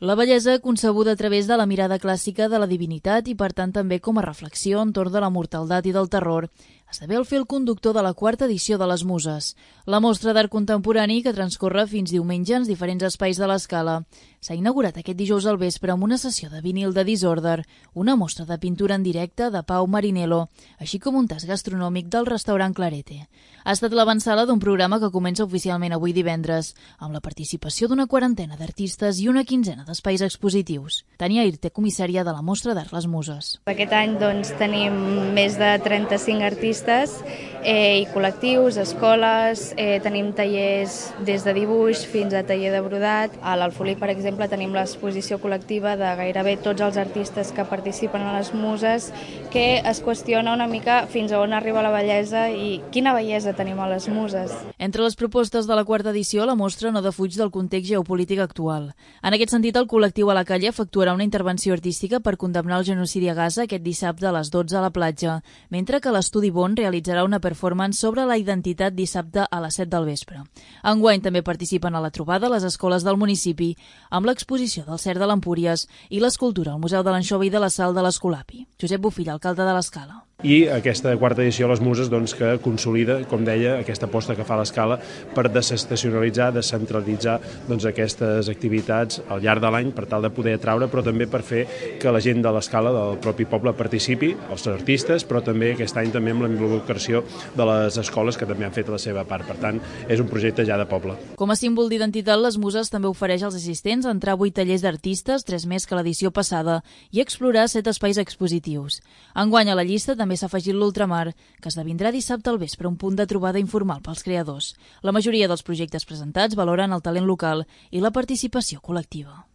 La bellesa concebuda a través de la mirada clàssica de la divinitat i, per tant, també com a reflexió entorn de la mortaldat i del terror, esdevé el fil conductor de la quarta edició de les Muses. La mostra d'art contemporani, que transcorre fins diumenge en diferents espais de l'Escala, s'ha inaugurat aquest dijous al vespre amb una sessió de vinil de Disorder, una mostra de pintura en directe de Pau Marinello, així com un tast gastronòmic del restaurant Clarete. Ha estat l'avantsala d'un programa que comença oficialment avui divendres, amb la participació d'una quarantena d'artistes i una quinzena d'espais expositius. Tania Irte, comissària de la Mostra d'Art Les Muses. Aquest any tenim més de 35 artistes i col·lectius, escoles, tenim tallers des de dibuix fins a taller de brodat. A l'Alfolí, per exemple, tenim l'exposició col·lectiva de gairebé tots els artistes que participen a les Muses, que es qüestiona una mica fins a on arriba la bellesa i quina bellesa tenim a les Muses. Entre les propostes de la quarta edició, la mostra no defuig del context geopolític actual. En aquest sentit, el col·lectiu A la Calle efectuarà una intervenció artística per condemnar el genocidi a Gaza aquest dissabte a les 12 a la platja, mentre que l'Estudi Bon realitzarà una performance sobre la identitat dissabte a les 7 del vespre. Enguany també participen a la trobada les escoles del municipi, amb l'exposició del Cert de l'Empúries i l'escultura al Museu de l'Anxova i de la Sal de l'Escolapi. Josep Bofill, alcalde de l'Escala. I aquesta quarta edició a les Muses que consolida, com deia, aquesta aposta que fa l'Escala per desestacionalitzar, descentralitzar aquestes activitats al llarg de l'any per tal de poder atraure, però també per fer que la gent de l'Escala, del propi poble, participi, els artistes, però també aquest any també amb la involucració de les escoles que també han fet la seva part. Per tant, és un projecte ja de poble. Com a símbol d'identitat, les Muses també ofereix als assistents entrar a 8 tallers d'artistes, 3 més que l'edició passada, i explorar 7 espais expositius. Enguany a la llista també s'ha afegit l'Ultramar, que esdevindrà dissabte al vespre un punt de trobada informal pels creadors. La majoria dels projectes presentats valoren el talent local i la participació col·lectiva.